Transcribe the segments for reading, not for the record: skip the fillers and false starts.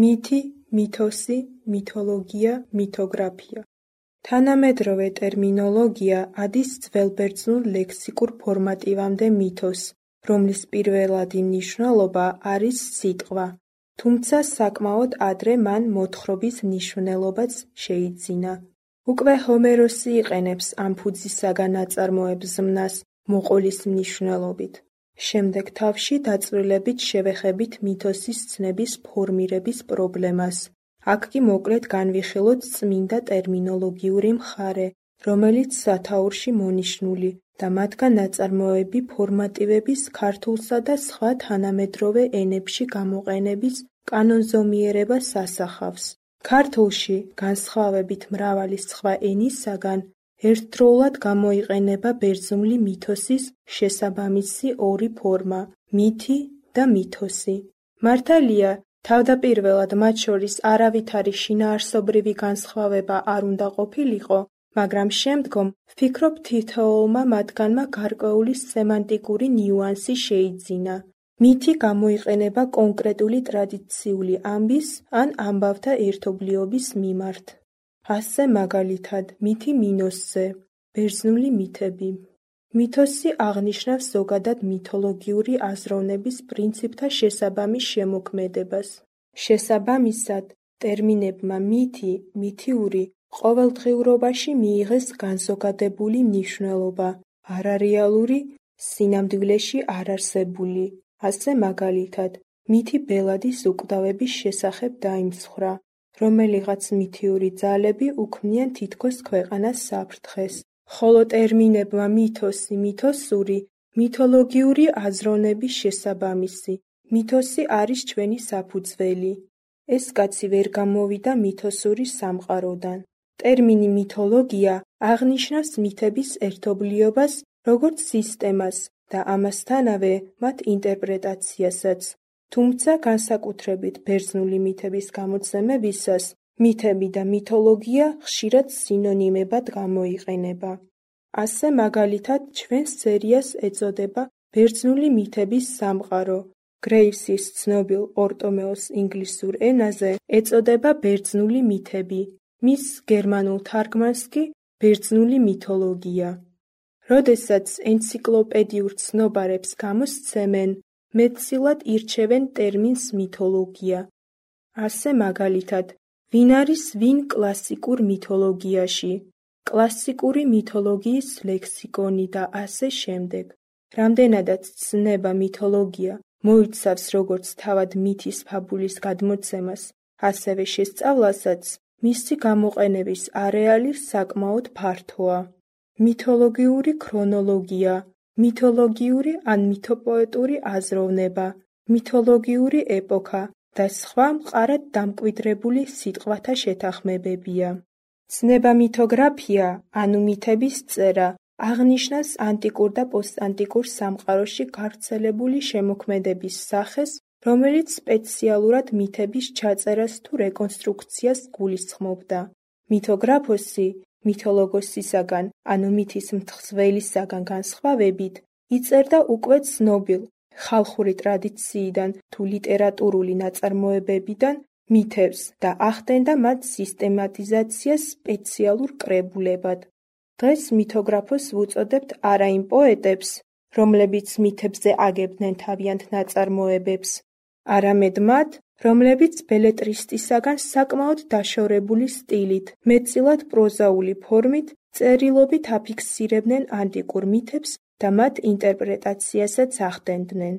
მითი, მითოსი, მითოლოგია, მითოგრაფია. თანამედროვე ტერმინოლოგია ადის ძველბერძნულ ლექსიკურ ფორმატივამდე მითოს, რომლის პირველადი მნიშვნელობა არის სიტყვა, თუმცა საკმაოდ ადრე მან მოთხრობის მნიშვნელობაც შეიძინა. უკვე ჰომეროსი იყენებს ამ ფუძისაგან აწარმოებს ზმნას მოყოლის მნიშვნელობით. შემდეგ თავში დაწვრილებით შევეხებით მითოსის ცნების ფორმირების პრობლემას. აქ კი მოკლედ განვიხილოთ წმინდა ტერმინოლოგიური მხარე, რომელიც სათაურში მონიშნული და მათგან ნაწარმოები ფორმატივების ქართულსა და სხვა თანამედროვე ენებში გამოყენების კანონზომიერებას ასახავს. ქართულში, განსხვავებით მრავალი სხვა ენისაგან, ერთდროულად გამოიყენება ბერძნული მითოსის შესაბამისი ორი ფორმა, მითი და მითოსი. მართალია, თავდაპირველად მათ შორის არავითარი შინაარსობრივი განსხვავება არ უნდა ყოფილიყო, მაგრამ შემდგომ ვფიქრობ თითოეულმა მათგანმა გარკვეული სემანტიკური ნიუანსი შეიძინა. მითი გამოიყენება კონკრეტული ტრადიციული ამბის ან ამბავთა ერთობლიობის მიმართ. ასე მაგალითად, მითი მინოსზე, ბერძნული მითები. მითოსი აღნიშნავს ზოგადად მითოლოგიური აზროვნების პრინციპთა შესაბამის შემოქმედებას. შესაბამისად, ტერმინებმა მითი, მითიური ყოველდღიურობაში მიიღეს განზოგადებული მნიშვნელობა, არარეალური, სინამდვილეში არარსებული. ასე მაგალითად, მითი ბელადის უკვდავების შესახებ დაიმსხვრა, რომელიღაც მითიური ძალები უქმნიან თითქოს ქვეყანას საფრთხეს, ხოლო ტერმინებმა მითოსი, მითოსური, მითოლოგიური აზროვნების შესაბამისი. მითოსი არის ჩვენი საფუძველი. ეს კაცი ვერ გამოვიდა მითოსური სამყაროდან. ტერმინი მითოლოგია აღნიშნავს მითების ერთობლიობას როგორც სისტემას და ამასთანავე მათ ინტერპრეტაციასაც, თუმცა განსაკუთრებით ბერძნული მითების გამოცემებისას მითები და მითოლოგია ხშირად სინონიმებად გამოიყენება. ასე მაგალითად ჩვენს სერიას ეწოდება ბერძნული მითების სამყარო. გრეივსის ცნობილ პორტომეოს ინგლისურ ენაზე ეწოდება ბერძნული მითები, მის გერმანულ თარგმანს კი ბერძნული მითოლოგია. როდესაც ენციკლოპედიურ ცნობარებს გამოსცემენ, მეტწილად ირჩევენ ტერმინს მითოლოგია. ასე მაგალითად, ვინ არის ვინ კლასიკურ მითოლოგიაში, კლასიკური მითოლოგიის ლექსიკონი და ასე შემდეგ. რამდენადაც ცნება მითოლოგია მოიცავს როგორც თავად მითის ფაბულის გადმოცემას, ასევე შესწავლასაც, მისი გამოყენების არეალი საკმაოდ ფართოა. მითოლოგიური ქრონოლოგია, მითოლოგიური ან მითოპოეტური აზროვნება, მითოლოგიური ეპოქა და სხვა მყარად დამკვიდრებული სიტყვათა შეთანხმებებია. ცნება მითოგრაფია, ანუ მითების წერა, აღნიშნავს ანტიკურ და პოსტანტიკურ სამყაროში გავრცელებული შემოქმედების სახეს, რომელიც სპეციალურად მითების ჩაწერას თუ რეკონსტრუქციას გულისხმობდა. მითოგრაფოსი, მითოლოგოსისაგან, ანუ მითის მთხზველისაგან განსხვავებით, იწერდა უკვე ცნობილ, ხალხური ტრადიციიდან თუ ლიტერატურული ნაწარმოებებიდან მითებს და ახდენდა მათ სისტემატიზაციას სპეციალურ კრებულებად. დღეს მითოგრაფოს ვუწოდებთ არა იმ პოეტებს, რომლებიც მითებზე აგებდნენ თავიანთ ნაწარმოებებს, არამედ მათ, რომლებიც ბელებრისტისაგან საკმაოდ დაშორებული სტილით, მეტწილად პროზაული ფორმით, წერილობით აფიქსირებდნენ ანტიკურ მითებს და მათ ინტერპრეტაციასაც ახდენდნენ.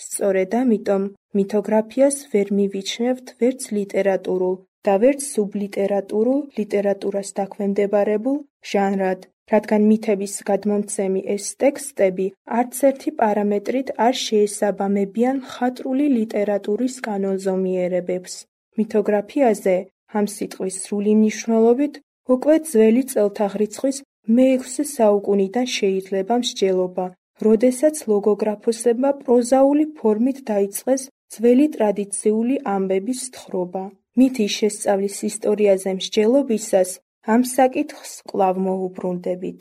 სწორედ ამიტომ მითოგრაფიას ვერ მივიჩნევთ ვერც ლიტერატურულ და ვერც სუბლიტერატურულ ლიტერატურას დაქვემდებარებულ ჟანრად, რადგან მითების გადმომცემი ეს ტექსტები არც ერთი პარამეტრით არ შეესაბამებიან მხატვრული ლიტერატურის კანონზომიერებებს. მითოგრაფიაზე, ამ სიტყვის სრული მნიშვნელობით, უკვე ძველი წელთაღრიცხვის მე-6 საუკუნიდან შეიძლება მსჯელობა, როდესაც ლოგოგრაფოსებმა პროზაული ფორმით დაიწყეს ძველი ტრადიციული ამბების თხრობა. მითის შესწავლის ისტორიაზე მსჯელობისას ამ საკითხს კვლავ მოუბრუნდებით.